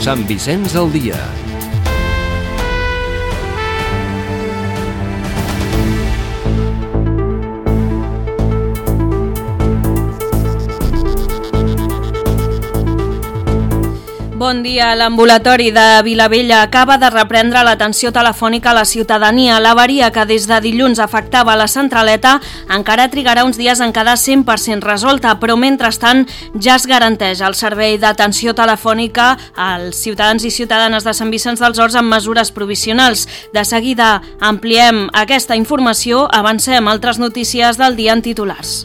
Sant Vicenç al dia. Bon dia. L'ambulatori de Vilavella acaba de reprendre l'atenció telefònica a la ciutadania. L'avaria que des de dilluns afectava la centraleta encara trigarà uns dies en quedar 100% resolta, però mentrestant ja es garanteix el servei d'atenció telefònica als ciutadans i ciutadanes de Sant Vicenç dels Horts amb mesures provisionals. De seguida ampliem aquesta informació, avancem altres notícies del dia en titulars.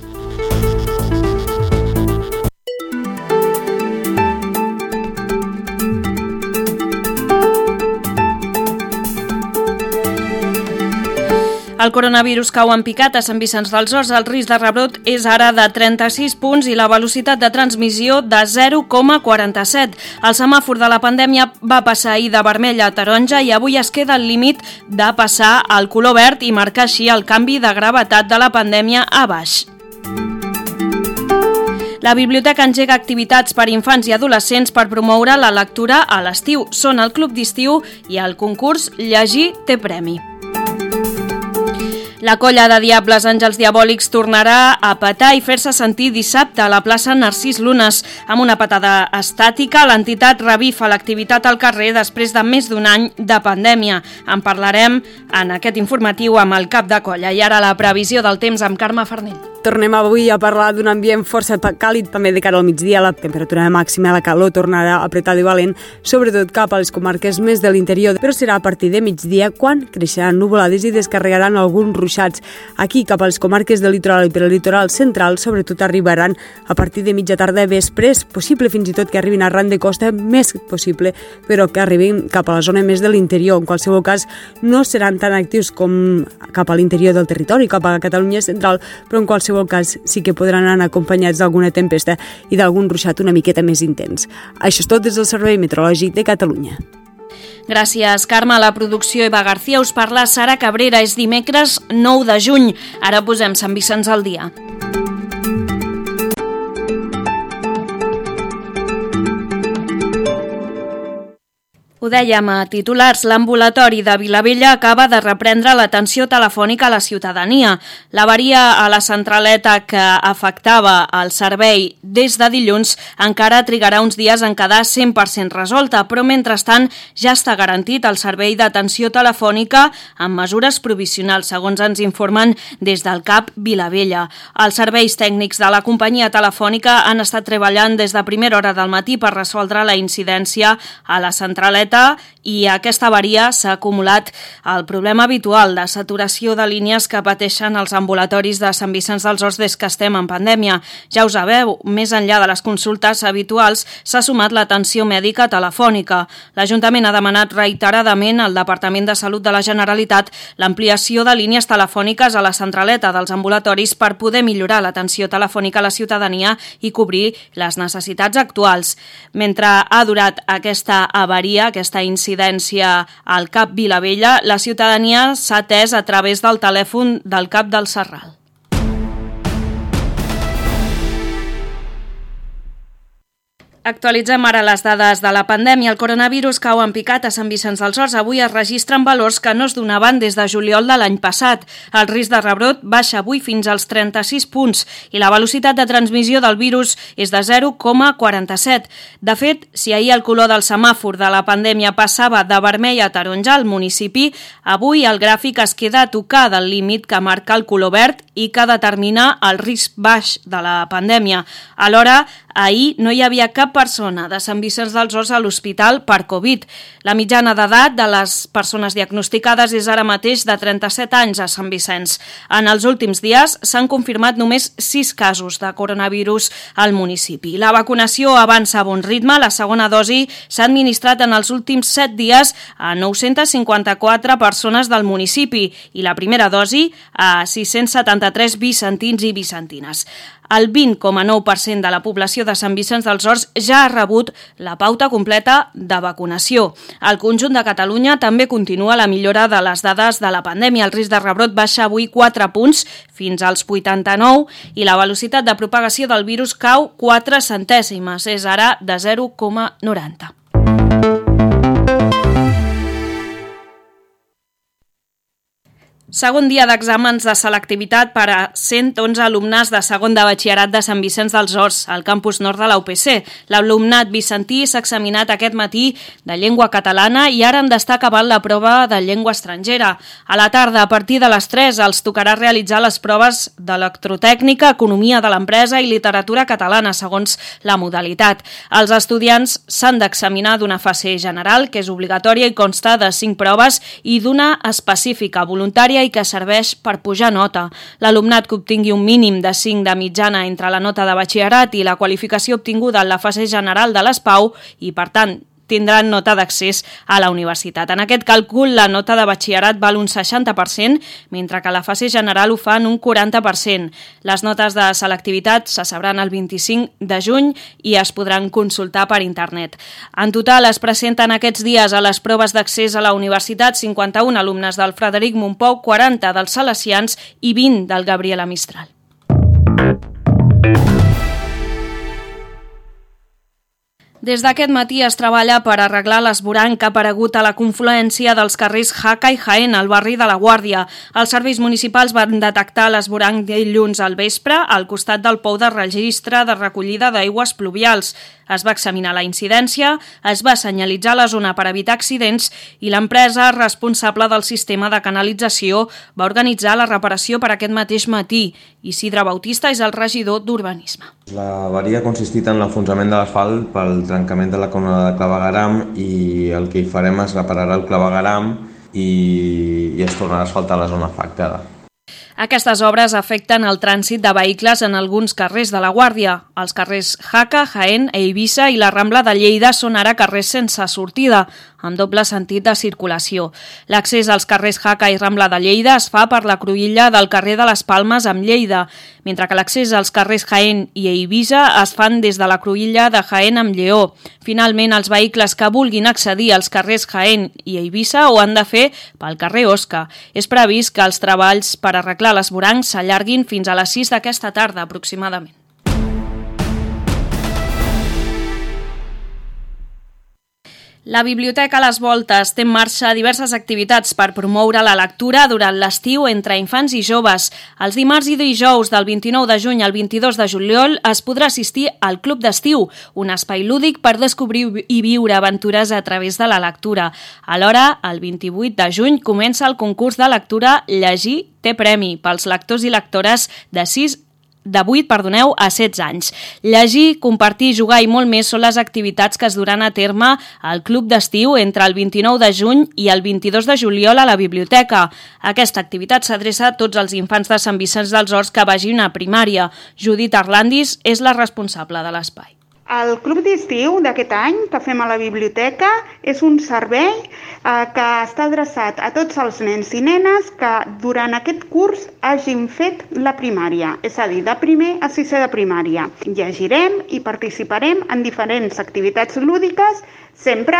El coronavirus cau en picat a Sant Vicenç dels Horts. El risc de rebrot és ara de 36 punts i la velocitat de transmissió de 0,47. El semàfor de la pandèmia va passar ahir de vermell a taronja i avui es queda al límit de passar al color verd i marcar així el canvi de gravetat de la pandèmia a baix. La biblioteca engega activitats per infants i adolescents per promoure la lectura a l'estiu. Són el Club d'Estiu i el concurs Llegir té premi. La colla de Diables Àngels Diabòlics tornarà a petar i fer-se sentir dissabte a la plaça Narcís Lunes. Amb una patada estàtica, l'entitat revifa l'activitat al carrer després de més d'un any de pandèmia. En parlarem en aquest informatiu amb el cap de colla. I ara la previsió del temps amb Carme Farnell. Tornem avui a parlar d'un ambient força càlid, també de cara al migdia. La temperatura màxima, la calor tornarà apretada i valent, sobretot cap a les comarques més de l'interior, però serà a partir de migdia quan creixeran nuvolades i descarregaran alguns ruixats. Aquí, cap a les comarques del litoral i per al litoral central, sobretot arribaran a partir de mitja tarda i vespre. És possible fins i tot que arribin arran de costa, més possible, però que arribin cap a la zona més de l'interior. En qualsevol cas, no seran tan actius com cap a l'interior del territori, cap a Catalunya central, però en qualsevol cas sí que podran anar acompanyats d'alguna tempesta i d'algun ruixat una miqueta més intens. Això és tot des del Servei Meteorològic de Catalunya. Gràcies, Carme. A la producció Eva García us parla Sara Cabrera. És dimecres 9 de juny. Ara posem Sant Vicenç al dia. Ho dèiem a titulars, l'ambulatori de Vilavella acaba de reprendre l'atenció telefònica a la ciutadania. L'avaria a la centraleta que afectava el servei des de dilluns encara trigarà uns dies en quedar 100% resolta, però mentrestant ja està garantit el servei d'atenció telefònica amb mesures provisionals, segons ens informen des del CAP Vilavella. Els serveis tècnics de la companyia telefònica han estat treballant des de primera hora del matí per resoldre la incidència a la centraleta i aquesta avaria s'ha acumulat el problema habitual de saturació de línies que pateixen els ambulatoris de Sant Vicenç dels Horts des que estem en pandèmia. Ja ho sabeu, més enllà de les consultes habituals s'ha sumat l'atenció mèdica telefònica. L'Ajuntament ha demanat reiteradament al Departament de Salut de la Generalitat l'ampliació de línies telefòniques a la centraleta dels ambulatoris per poder millorar l'atenció telefònica a la ciutadania i cobrir les necessitats actuals. Mentre ha durat aquesta avaria, aquesta incidència al CAP Vilavella, la ciutadania s'ha atès a través del telèfon del CAP del Serral. Actualitzem ara les dades de la pandèmia. El coronavirus cau en picat a Sant Vicenç dels Horts. Avui es registren valors que no es donaven des de juliol de l'any passat. El risc de rebrot baixa avui fins als 36 punts i la velocitat de transmissió del virus és de 0,47. De fet, si ahir el color del semàfor de la pandèmia passava de vermell a taronja al municipi, avui el gràfic es queda a tocar del límit que marca el color verd i que determina el risc baix de la pandèmia. Alhora, ahir no hi havia cap persona de Sant Vicenç dels Horts a l'hospital per Covid. La mitjana d'edat de les persones diagnosticades és ara mateix de 37 anys a Sant Vicenç. En els últims dies s'han confirmat només 6 casos de coronavirus al municipi. La vacunació avança a bon ritme. La segona dosi s'ha administrat en els últims 7 dies a 954 persones del municipi i la primera dosi a 673 vicentins i vicentines. El 20,9% de la població de Sant Vicenç dels Horts ja ha rebut la pauta completa de vacunació. Al conjunt de Catalunya també continua la millora de les dades de la pandèmia. El risc de rebrot baixa avui 4 punts fins als 89 i la velocitat de propagació del virus cau 4 centèsimes, és ara de 0,90. Segon dia d'exàmens de selectivitat per a 111 alumnes de segon de batxillerat de Sant Vicenç dels Horts, al campus nord de la UPC. L'alumnat vicentí s'ha examinat aquest matí de llengua catalana i ara han d'estar acabant la prova de llengua estrangera. A la tarda, a partir de les 3, els tocarà realitzar les proves d'electrotècnica, economia de l'empresa i literatura catalana, segons la modalitat. Els estudiants s'han d'examinar d'una fase general, que és obligatòria i consta de 5 proves, i d'una específica, voluntària, i que serveix per pujar nota. L'alumnat que obtingui un mínim de 5 de mitjana entre la nota de batxillerat i la qualificació obtinguda en la fase general de l'ESPAU i, per tant, tindran nota d'accés a la universitat. En aquest càlcul, la nota de batxillerat val un 60%, mentre que la fase general ho fan un 40%. Les notes de selectivitat se sabran el 25 de juny i es podran consultar per internet. En total, es presenten aquests dies a les proves d'accés a la universitat 51 alumnes del Frederic Mompou, 40 dels Salesians i 20 del Gabriela Mistral. Des d'aquest matí es treballa per arreglar l'esvoranc que ha aparegut a la confluència dels carrers Jaca i Jaén, al barri de la Guàrdia. Els serveis municipals van detectar l'esvoranc dilluns al vespre al costat del pou de registre de recollida d'aigües pluvials. Es va examinar la incidència, es va senyalitzar la zona per evitar accidents i l'empresa responsable del sistema de canalització va organitzar la reparació per aquest mateix matí. Isidre Bautista és el regidor d'Urbanisme. La avaria ha consistit en l'enfonsament de l'asfalt pel trencament de la columna de clavegueram i el que hi farem és reparar el clavegueram i es tornarà a asfaltar la zona afectada. Aquestes obres afecten el trànsit de vehicles en alguns carrers de la Guàrdia. Els carrers Jaca, Jaén, Eivissa i la Rambla de Lleida són ara carrers sense sortida, amb doble sentit de circulació. L'accés als carrers Jaca i Rambla de Lleida es fa per la cruïlla del carrer de les Palmes amb Lleida, mentre que l'accés als carrers Jaén i Eivissa es fan des de la cruïlla de Jaén amb Lleó. Finalment, els vehicles que vulguin accedir als carrers Jaén i Eivissa ho han de fer pel carrer Osca. És previst que els treballs per arreglar l'esvoranc s'allarguin fins a les 6 d'aquesta tarda, aproximadament. La Biblioteca a les Voltes té en marxa diverses activitats per promoure la lectura durant l'estiu entre infants i joves. Els dimarts i dijous del 29 de juny al 22 de juliol es podrà assistir al Club d'Estiu, un espai lúdic per descobrir i viure aventures a través de la lectura. Alhora, el 28 de juny comença el concurs de lectura Llegir té premi pels lectors i lectores de 8 a 16 anys. Llegir, compartir, jugar i molt més són les activitats que es duran a terme al Club d'Estiu entre el 29 de juny i el 22 de juliol a la biblioteca. Aquesta activitat s'adreça a tots els infants de Sant Vicenç dels Horts que vagin a primària. Judit Arlandis és la responsable de l'espai. El Club d'Estiu d'aquest any que fem a la biblioteca és un servei que està adreçat a tots els nens i nenes que durant aquest curs hagin fet la primària, és a dir, de primer a sisè de primària. Llegirem i participarem en diferents activitats lúdiques, sempre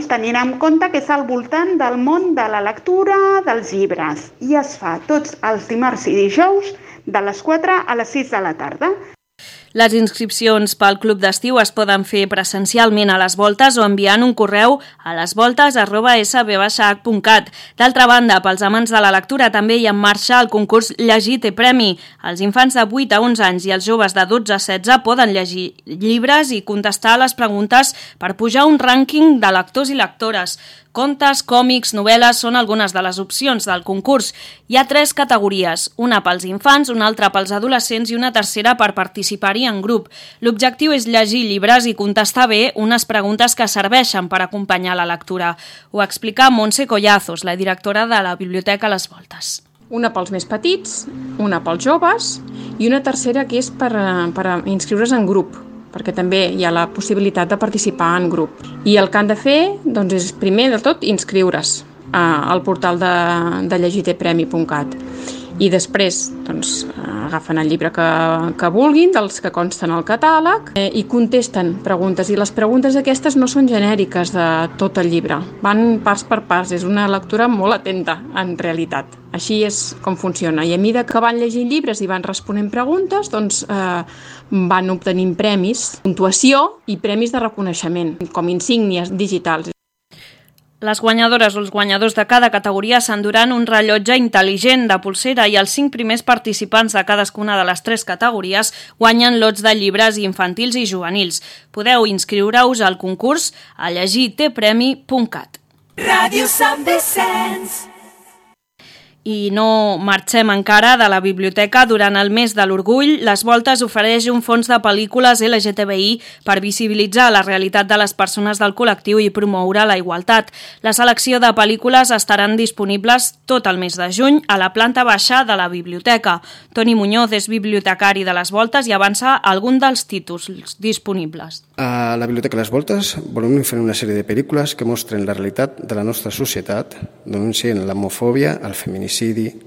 tenint en compte que és al voltant del món de la lectura, dels llibres. I es fa tots els dimarts i dijous de les 4 a les 6 de la tarda. Les inscripcions pel Club d'Estiu es poden fer presencialment a les Voltes o enviant un correu a lesvoltes@sb-cat. D'altra banda, pels amants de la lectura també hi ha en marxa el concurs Llegir té premi. Els infants de 8 a 11 anys i els joves de 12 a 16 poden llegir llibres i contestar a les preguntes per pujar un rànquing de lectors i lectores. Contes, còmics, novel·les són algunes de les opcions del concurs. Hi ha 3 categories, una pels infants, una altra pels adolescents i una tercera per participar-hi en grup. L'objectiu és llegir llibres i contestar bé unes preguntes que serveixen per acompanyar la lectura. Ho explica Montse Collazos, la directora de la Biblioteca a les Voltes. Una pels més petits, una pels joves i una tercera que és per inscriure's en grup, perquè també hi ha la possibilitat de participar en grup. I el que han de fer és primer de tot inscriure's al portal de llegirtepremi.cat i després agafen el llibre que vulguin, dels que consten al catàleg, i contesten preguntes. I les preguntes aquestes no són genèriques de tot el llibre, van pas per pas, és una lectura molt atenta en realitat. Així és com funciona. I a mesura que van llegint llibres i van responent preguntes, van obtenint premis, puntuació i premis de reconeixement, com insígnies digitals. Les guanyadores o els guanyadors de cada categoria s'enduran un rellotge intel·ligent de polsera i els 5 primers participants de cadascuna de les 3 categories guanyen lots de llibres infantils i juvenils. Podeu inscriure-us al concurs a llegirtepremi.cat. Ràdio Sant Vicenç. I no marxem encara de la biblioteca. Durant el mes de l'orgull, Les Voltes ofereix un fons de pel·lícules LGTBI per visibilitzar la realitat de les persones del col·lectiu i promoure la igualtat. La selecció de pel·lícules estaran disponibles tot el mes de juny a la planta baixa de la biblioteca. Toni Muñoz és bibliotecari de Les Voltes i avança algun dels títols disponibles. A la Biblioteca Les Voltes volem fer una sèrie de pel·lícules que mostren la realitat de la nostra societat, denuncien l'homofòbia, el feminicidi,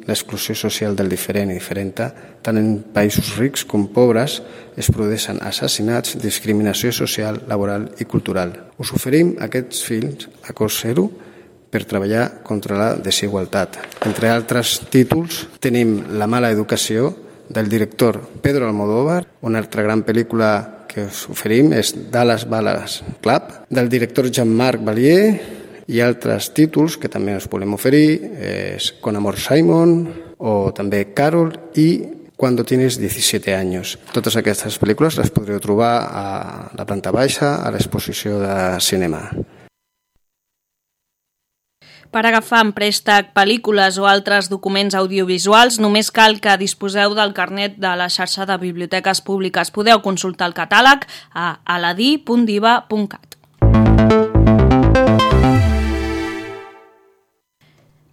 l'exclusió social del diferent i diferenta. Tant en països rics com pobres es produeixen assassinats, discriminació social, laboral i cultural. Us oferim aquests films a cost zero per treballar contra la desigualtat. Entre altres títols tenim La mala educació, del director Pedro Almodóvar. Una altra gran pel·lícula que us oferim és Dallas Buyers Club, del director Jean-Marc Vallée, i altres títols que també us volem oferir és Con amor Simon o també Carol i Cuando tienes 17 años. Totes aquestes pel·lícules les podreu trobar a la planta baixa, a l'exposició de cinema. Per agafar en préstec pel·lícules o altres documents audiovisuals, només cal que disposeu del carnet de la xarxa de biblioteques públiques. Podeu consultar el catàleg a aladi.diva.cat.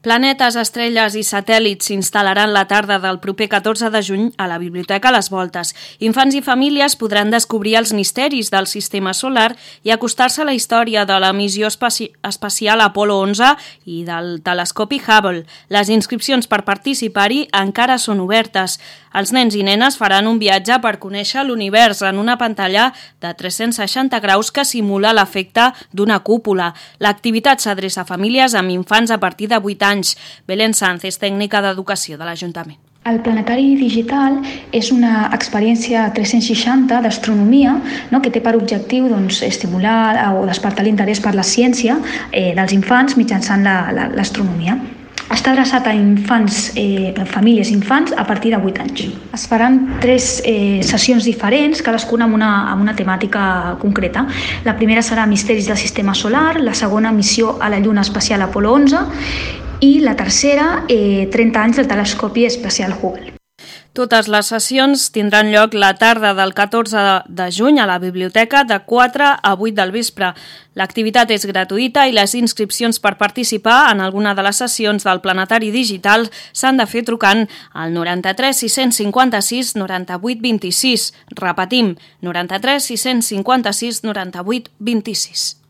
Planetes, estrelles i satèl·lits s'instal·laran la tarda del proper 14 de juny a la Biblioteca Les Voltes. Infants i famílies podran descobrir els misteris del sistema solar i acostar-se a la història de la missió espacial Apolo 11 i del telescopi Hubble. Les inscripcions per participar-hi encara són obertes. Els nens i nenes faran un viatge per conèixer l'univers en una pantalla de 360 graus que simula l'efecte d'una cúpula. L'activitat s'adreça a famílies amb infants a partir de 8 anys. Belén Sanz és tècnica d'educació de l'Ajuntament. El planetari digital és una experiència 360 d'astronomia, no?, que té per objectiu estimular o despertar l'interès per la ciència dels infants mitjançant l'astronomia. Està adreçat a famílies i infants a partir de 8 anys. Es faran 3 sessions diferents, cadascuna amb una temàtica concreta. La primera serà Misteris del sistema solar, la segona Missió a la Lluna espacial Apolo 11 i la tercera 30 anys del telescopi espacial Hubble. Totes les sessions tindran lloc la tarda del 14 de juny a la biblioteca de 4 a 8 del vespre. L'activitat és gratuïta i les inscripcions per participar en alguna de les sessions del planetari digital s'han de fer trucant al 93 656 98 26. Repetim, 93 656 98 26.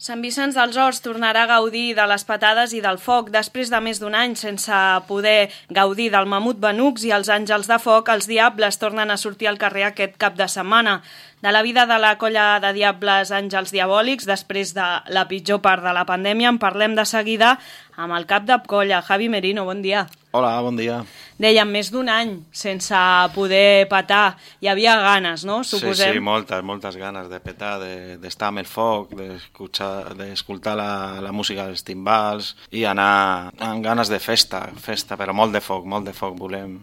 Sant Vicenç dels Horts tornarà a gaudir de les patades i del foc. Després de més d'un any sense poder gaudir del mamut Benux i els àngels de foc, els diables tornen a sortir al carrer aquest cap de setmana. De la vida de la colla de diables Àngels Diabòlics, després de la pitjor part de la pandèmia, en parlem de seguida amb el cap de colla, Javi Merino. Bon dia. Hola, bon dia. Dèiem, més d'un any sense poder petar. Hi havia ganes, no? Suposem. Sí, moltes ganes de petar, d'estar amb el foc, d'escoltar la música dels timbals i anar amb ganes de festa, però molt de foc, volem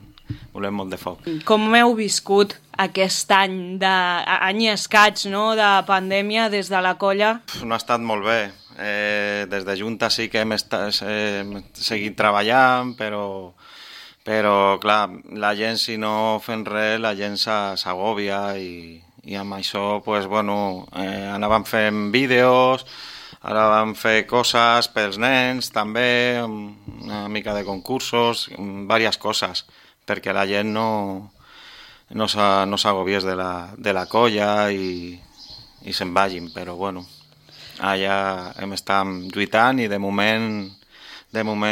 molt de foc. Com heu viscut aquest any i escaig, no?, de pandèmia des de la colla? No ha estat molt bé. Des de Junta sí que hem seguit treballant, però clar, la gent, si no fem res, la gent s'agòbia i amb això, anàvem fent vídeos, ara vam fer coses pels nens també, una mica de concursos, diverses coses, perquè la gent no s'agobiés de la colla i se'n vagin, però allà hem estat lluitant i de moment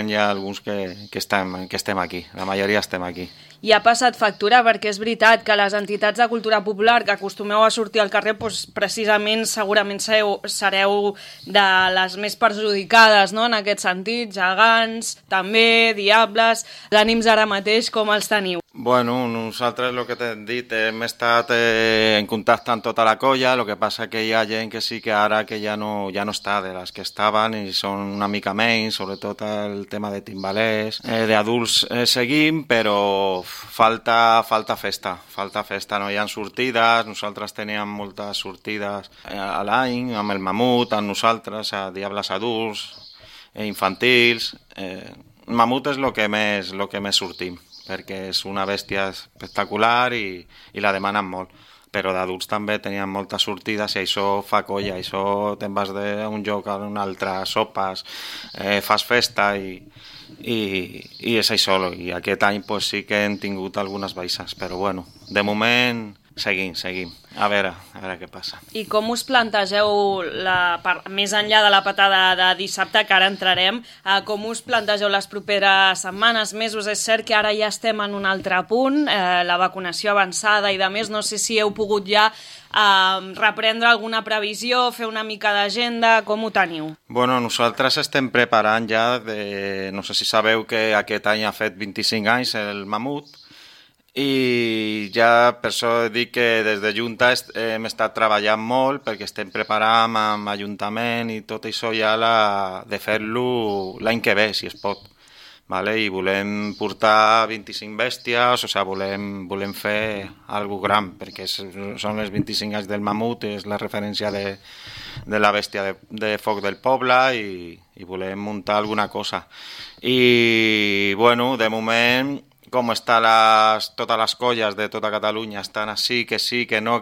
hi ha alguns que estem aquí, la majoria estem aquí. I ha passat factura perquè és veritat que les entitats de cultura popular que acostumeu a sortir al carrer, precisament segurament sereu de les més perjudicades, no?, en aquest sentit, gegants, també, diables, els ànims ara mateix com els teniu? Bueno, nosaltres, el que t'he dit, hem estat en contacte amb tota la colla, el que passa que hi ha gent que sí que ara que ja no està, de les que estaven i són una mica menys, sobretot el tema de timbalers. D'adults seguim, però falta festa, no hi ha sortides, nosaltres teníem moltes sortides a l'any, amb el Mamut, amb nosaltres, a Diables adults, infantils. Mamut és el que més sortim, perquè és una bèstia espectacular i la demanen molt. Però d'adults també tenien moltes sortides i això fa colla, això te'n vas d'un lloc a un altre, sopes, fas festa i és això. I aquest any pues, sí que hem tingut algunes baixes, però bueno, de moment seguim. A veure què passa. I com us plantegeu, més enllà de la patada de dissabte, que ara entrarem, com us plantegeu les properes setmanes, mesos? És cert que ara ja estem en un altre punt, la vacunació avançada i de més, no sé si heu pogut ja reprendre alguna previsió, fer una mica d'agenda, com ho teniu? Bueno, nosaltres estem preparant ja, no sé si sabeu que aquest any ha fet 25 anys el Mamut, i ja per això dic que des de Junta hem estat treballant molt perquè estem preparant amb l'Ajuntament i tot això ja de fer-lo l'any que ve, si es pot. Vale? I volem portar 25 bèsties, o sigui, volem fer alguna gran, perquè són els 25 anys del Mamut, és la referència de la bèstia de foc del poble i volem muntar alguna cosa. I, bueno, de moment, com estan totes les colles de tota Catalunya, estan així, que sí, que no,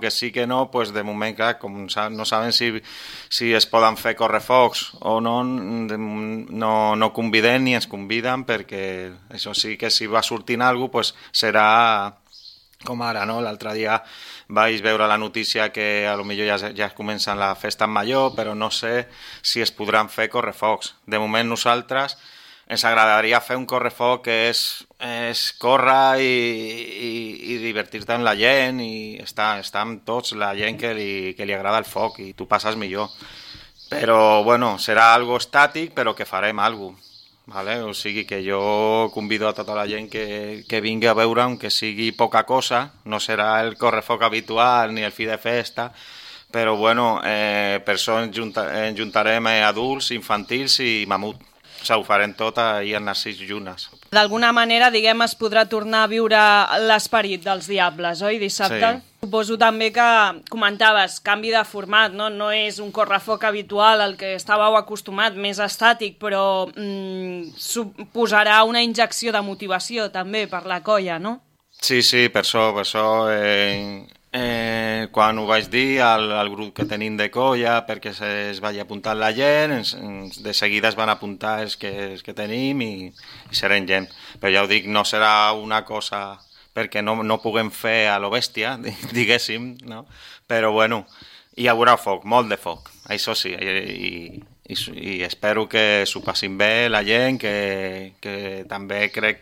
pues de moment, clar, com no saben si es poden fer correfocs o no conviden ni ens conviden, perquè això sí que si va sortint alguna cosa, pues serà com ara, no? L'altre dia vaig veure la notícia que a lo millor ja comencen la festa major, però no sé si es podran fer correfocs. De moment nosaltres ens agradaria fer un correfoc que és córrer i divertir-te amb la gent i estar amb tots, la gent que li agrada el foc i tu passes millor. Però, bueno, serà algo estàtic, però que farem alguna cosa. Vale? O sigui que jo convido a tota la gent que vingui a veure, aunque sigui poca cosa, no serà el correfoc habitual ni el fi de festa, però, bueno, per això ens juntarem adults, infantils i Mamut. O sigui, ho farem tot ahir en Narcís Llunes. D'alguna manera, diguem, es podrà tornar a viure l'esperit dels Diables, oi, dissabte? Sí. Suposo també que comentaves canvi de format, no? No és un correfoc habitual al que estàveu acostumat, més estàtic, però suposarà una injecció de motivació també per la colla, no? Sí, per això quan ho vaig dir al grup que tenim de colla perquè es vagi apuntant la gent, de seguida es van apuntar els que tenim i serem gent. Però ja ho dic, no serà una cosa perquè no puguem fer a lo bèstia, diguéssim, no? Però bueno, hi haurà foc, molt de foc, això sí, i espero que s'ho passin bé la gent, que també crec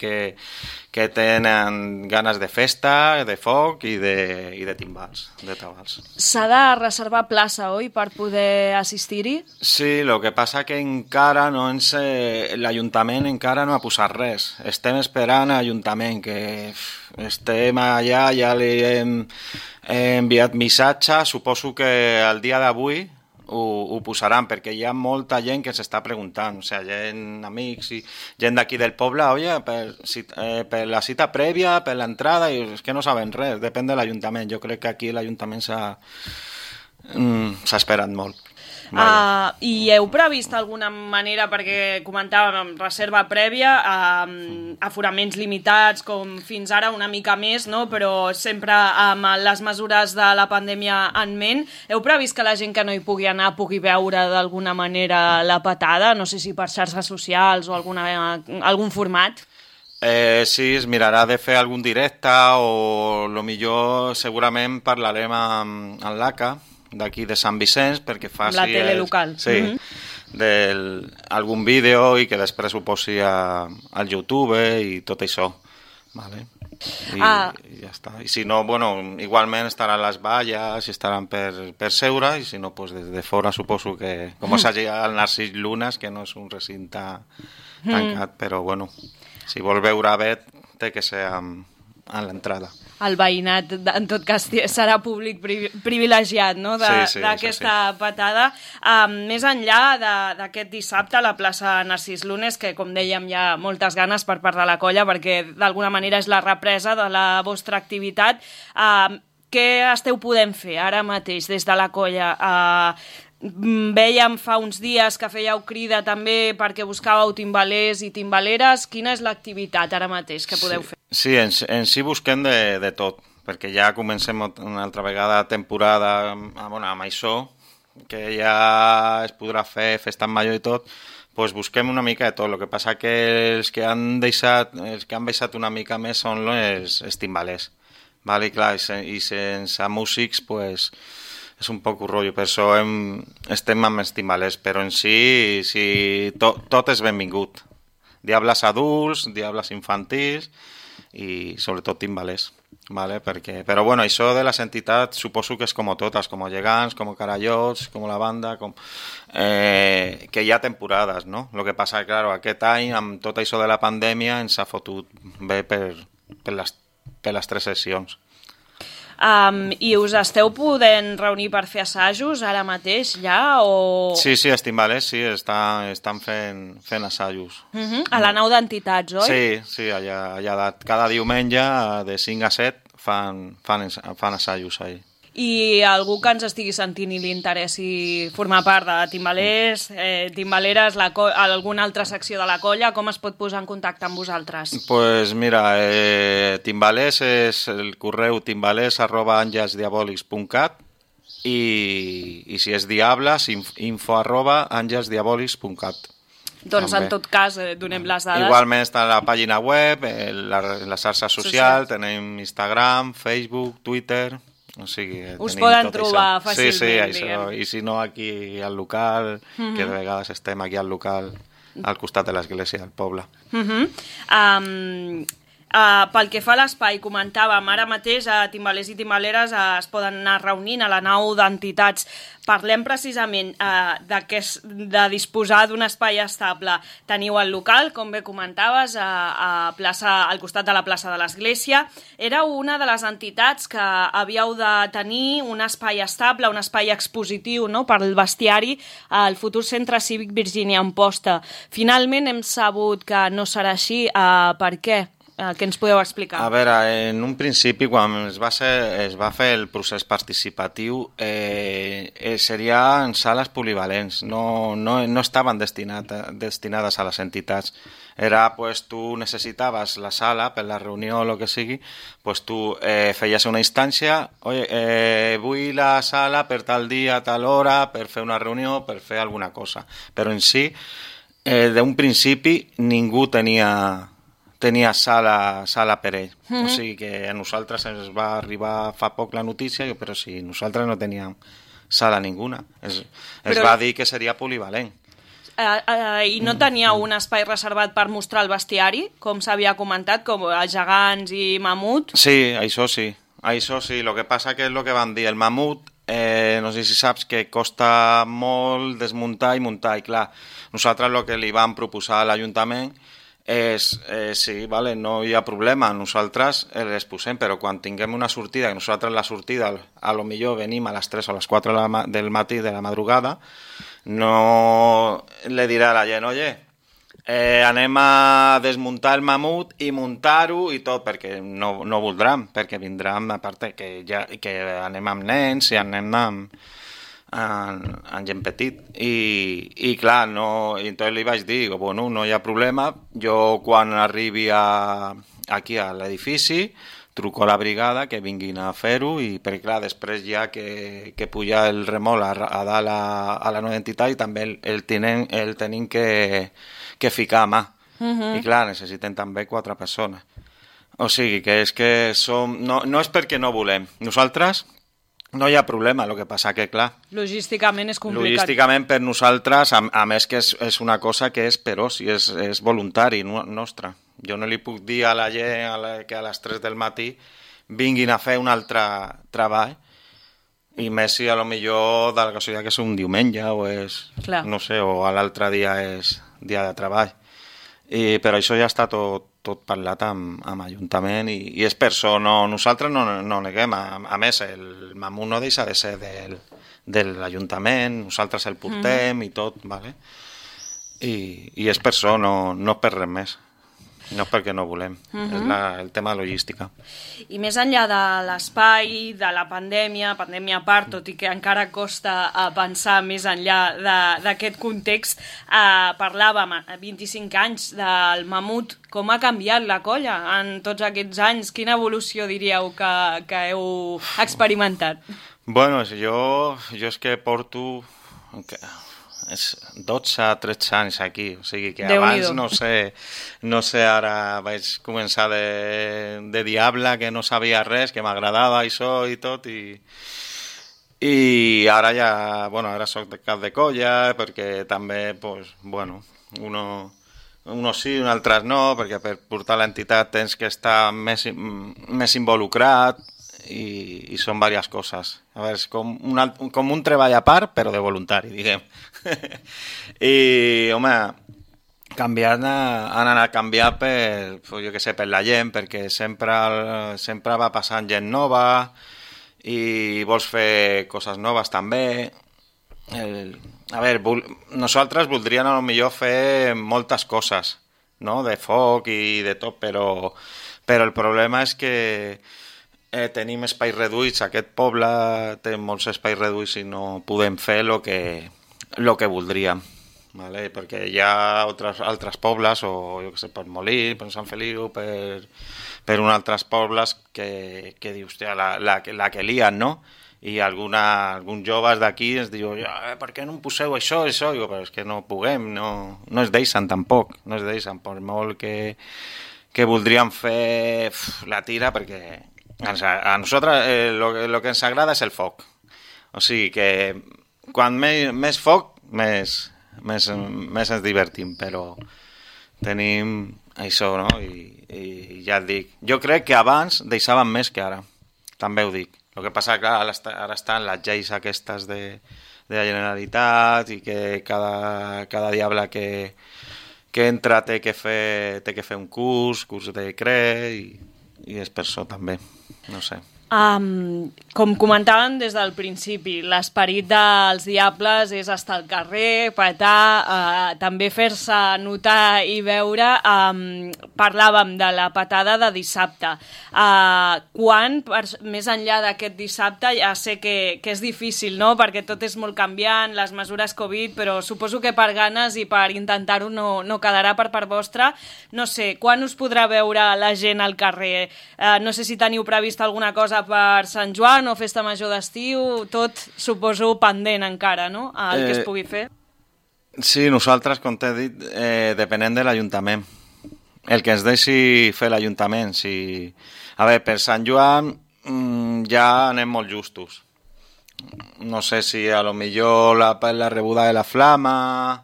que tenen ganes de festa, de foc i de timbals, de tabals. S'ha de reservar plaça, oi, per poder assistir-hi? Sí, el que passa que encara l'Ajuntament encara no ha posat res. Estem esperant a l'Ajuntament, que estem allà, ja li hem enviat missatge, suposo que el dia d'avui ho posaran, perquè hi ha molta gent que s'està preguntant, o sigui, gent, amics i gent d'aquí del poble, oye, per la cita prèvia, per l'entrada, i és que no saben res, depèn de l'Ajuntament. Jo crec que aquí l'Ajuntament s'ha esperat molt. I heu previst alguna manera, perquè comentàvem reserva prèvia, aforaments limitats com fins ara, una mica més, no? Però sempre amb les mesures de la pandèmia en ment, heu previst que la gent que no hi pugui anar pugui veure d'alguna manera la patada? No sé si per xarxes socials o algun format? Sí, es mirarà de fer algun directe o millor segurament parlarem amb l'ACA d'aquí de Sant Vicenç perquè faci la tele local. Sí, algun vídeo i que després ho posi al YouTube i tot això. Vale? I ja està. I si no, bueno, igualment estaran les valles i estaran per seure i si no, pues des de fora suposo que com és allà al Narcís Llunes, que no és un recinte tancat, però bueno, si vol veure bé té que ser amb a l'entrada. El veïnat, en tot cas, serà públic privilegiat, no?, d'aquesta patada. Més enllà d'aquest dissabte a la plaça Narcís Lunes, que, com dèiem, hi ha moltes ganes per part de la colla, perquè d'alguna manera és la represa de la vostra activitat. Què esteu podent fer ara mateix des de la colla? Vèiem fa uns dies que fèieu crida també perquè buscàveu timbalers i timbaleres. Quina és l'activitat ara mateix que podeu fer? Sí, en si busquem de tot, perquè ja comencem una altra vegada temporada amb això, que ja es podrà fer festa en major i tot, doncs busquem una mica de tot. El que passa que els que han baixat una mica més són els timbalers. Vale, clar, i sense músics pues, és un poc un rotllo, per això estem amb els timbalers, però en si tot és benvingut. Diables adults, diables infantils i sobretot timbalers. Vale? Però bueno, això de les entitats suposo que és com totes, com Gegants, com Carallots, com la banda, que hi ha temporades, no? El que passa que, clar, aquest any, amb tot això de la pandèmia, ens ha fotut bé per les 3 sessions. I us esteu podent reunir per fer assajos ara mateix ja? O... Sí, els timbalers sí, estan fent assajos. A la nau d'entitats, oi? Sí, allà cada diumenge de 5 a 7 fan assajos ahí. I algú que ens estigui sentint i li interessi formar part de timbalers, timbaleres, alguna altra secció de la colla, com es pot posar en contacte amb vosaltres? Pues mira, timbalers és el correu timbalers@angelsdiabolics.cat i si és diables, info@angelsdiabolics.cat. Doncs en tot cas donem les dades. Igualment està a la pàgina web, la xarxa social, tenim Instagram, Facebook, Twitter... O sigui, us poden trobar això. fàcilment, sí, això. I si no aquí al local, que de vegades estem aquí al local, al costat de l'església del poble. Pel que fa a l'espai, comentàvem, ara mateix a timbalers i timbaleres es poden anar reunint a la nau d'entitats. Parlem precisament de disposar d'un espai estable. Teniu el local, com bé comentaves, al costat de la plaça de l'església. Era una de les entitats que havíeu de tenir un espai estable, un espai expositiu, no?, per al bestiari al futur Centre Cívic Virgínia Amposta. Finalment hem sabut que no serà així. Per què? Què ens podeu explicar? A veure, en un principi, quan es va fer el procés participatiu, seria en sales polivalents, no estaven destinades a les entitats. Era, pues, tu necessitaves la sala per la reunió o el que sigui, pues tu feies una instància, vull la sala per tal dia, tal hora, per fer una reunió, per fer alguna cosa. Però en si, d'un principi, ningú tenia sala per ell. O sigui que a nosaltres ens va arribar fa poc la notícia, però sí, nosaltres no teníem sala ninguna. Es va dir que seria polivalent. I no teníeu un espai reservat per mostrar el bestiari, com s'havia comentat, com els gegants i mamut? Sí, això sí. El que passa que és el que van dir. El mamut, no sé si saps que costa molt desmuntar i muntar. I clar, nosaltres el que li vam proposar a l'Ajuntament sí, vale, no hi ha problema, nosaltres les posem, però quan tinguem una sortida, que nosaltres la sortida a lo millor venim a les 3 o les 4 del matí de la madrugada, no le dirà a la gent, anem a desmuntar el mamut i muntar-ho i tot, perquè no voldran, perquè vindran, a part que anem amb nens i anem amb gent petit i clar, i entonces li vaig dir, bueno, no hi ha problema, jo quan arribi aquí a l'edifici truco a la brigada que vinguin a fer-ho, perquè clar, després ja que puja el remol a dalt a la nova entitat i també el tenim que ficar a mà. I clar, necessiten també 4 persones. O sigui que és que no és perquè no volem. Nosaltres no hi ha problema, el que passa que, clar... Logísticament és complicat. Logísticament per nosaltres, a més que és una cosa que és per oci, és voluntari nostre. Jo no li puc dir a la gent que a les 3 del matí vinguin a fer un altre treball, i més si a lo millor de la casualitat que és un diumenge o és, no sé, o l'altre dia és dia de treball. Però això ja està tot tot parlat amb Ajuntament i és per això, nosaltres no neguem, a més el mamut no deixa de ser de l'Ajuntament, nosaltres el portem i tot, vale? I és per això, no per res més. No és perquè no volem, és el tema de logística. I més enllà de l'espai, de la pandèmia a part, tot i que encara costa pensar més enllà d'aquest context, parlàvem 25 anys del mamut. Com ha canviat la colla en tots aquests anys? Quina evolució diríeu que heu experimentat? Bueno, jo és que porto... és 12-13 anys aquí, o sigui que abans no sé, ara vaig començar de diable, que no sabia res, que m'agradava això i tot, i ara ja, bueno, ara soc de cap de colla, perquè també, pues, bueno, uno sí, un altre no, perquè per portar l'entitat tens que estar més involucrat, i són diverses coses. A veure, és com un treball a part, però de voluntari, diguem. I, home, han anat canviant per la gent, perquè sempre va passant gent nova i vols fer coses noves també. A veure, nosaltres voldríem a lo millor fer moltes coses, no?, de foc i de tot, però el problema és que tenim espais reduïts, aquest poble té molts espais reduïts i no podem fer el que voldríem, ¿vale? Perquè hi ha altres pobles, o jo què sé, per Molí, per Sant Feliu, per uns altres pobles que dius, hòstia, la que lien, no? I alguns joves d'aquí ens diuen, per què no em poseu això? Digo, però és que no puguem, no es deixen tampoc, no es deixen, per molt que voldríem fer la tira, perquè a nosaltres el que ens agrada és el foc. O sigui que quan més foc, més ens divertim, però tenim això, no? I ja et dic, jo crec que abans deixàvem més que ara, també ho dic. El que passa, clar, ara estan les lleis aquestes de la Generalitat i que cada diable que entra té que fer un curs de CRE i és per això també, no sé. Com comentàvem des del principi, l'esperit dels Diables és estar al carrer, petar, també fer-se notar i veure. Parlàvem de la petada de dissabte. Quan, més enllà d'aquest dissabte, ja sé que és difícil, no?, perquè tot és molt canviant, les mesures Covid, però suposo que per ganes i per intentar-ho no quedarà per part vostra. No sé, quan us podrà veure la gent al carrer? No sé si teniu previst alguna cosa per Sant Joan o festa major d'estiu, tot suposo pendent encara, no?, el que es pugui fer. Sí, nosaltres, com t'he dit, depenem de l'Ajuntament. El que ens deixi fer l'Ajuntament. A veure, per Sant Joan ja anem molt justos. No sé si a lo millor la rebuda de la flama,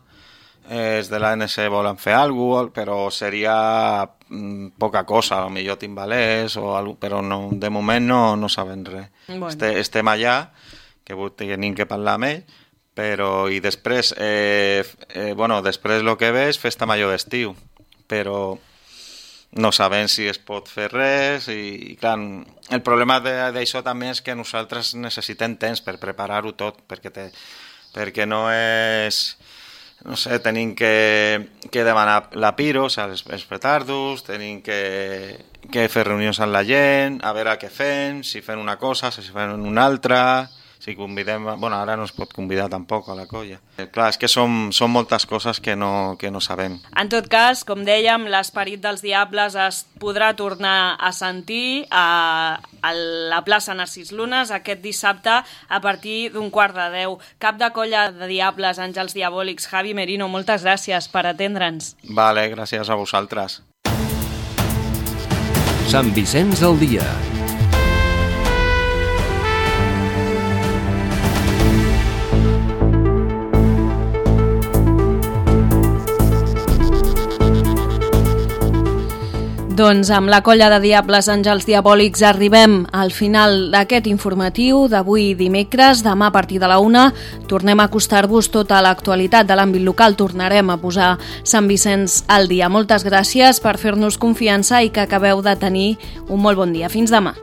els de l'ANC volen fer alguna cosa, però seria poca cosa, a lo millor timbalers o algo, però no, de moment no sabem res. Bueno. Estem allà, que tenim que parlar amb ell, però i després, després el que ve és festa major d'estiu, però no sabem si es pot fer res i clar, el problema d'això també és que nosaltres necessitem temps per preparar-ho tot, perquè no és... No sé, tenim que demanar la piro, o sigui, els petardos, tenim que fer reunions amb la gent, a veure què fem, si fem una cosa, si fem una altra, si convidem... Bueno, ara no es pot convidar tampoc a la colla. Clar, és que són moltes coses que no sabem. En tot cas, com dèiem, l'esperit dels Diables es podrà tornar a sentir a la plaça Narcís Lunes aquest dissabte a partir d'un 9:15. Cap de colla de Diables, Àngels Diabòlics, Javi Merino, moltes gràcies per atendre'ns. Vale, gràcies a vosaltres. Sant Vicenç al dia. Doncs amb la colla de Diables Àngels Diabòlics arribem al final d'aquest informatiu d'avui dimecres. Demà a partir de la 1 tornem a acostar-vos tota l'actualitat de l'àmbit local. Tornarem a posar Sant Vicenç al dia. Moltes gràcies per fer-nos confiança i que acabeu de tenir un molt bon dia. Fins demà.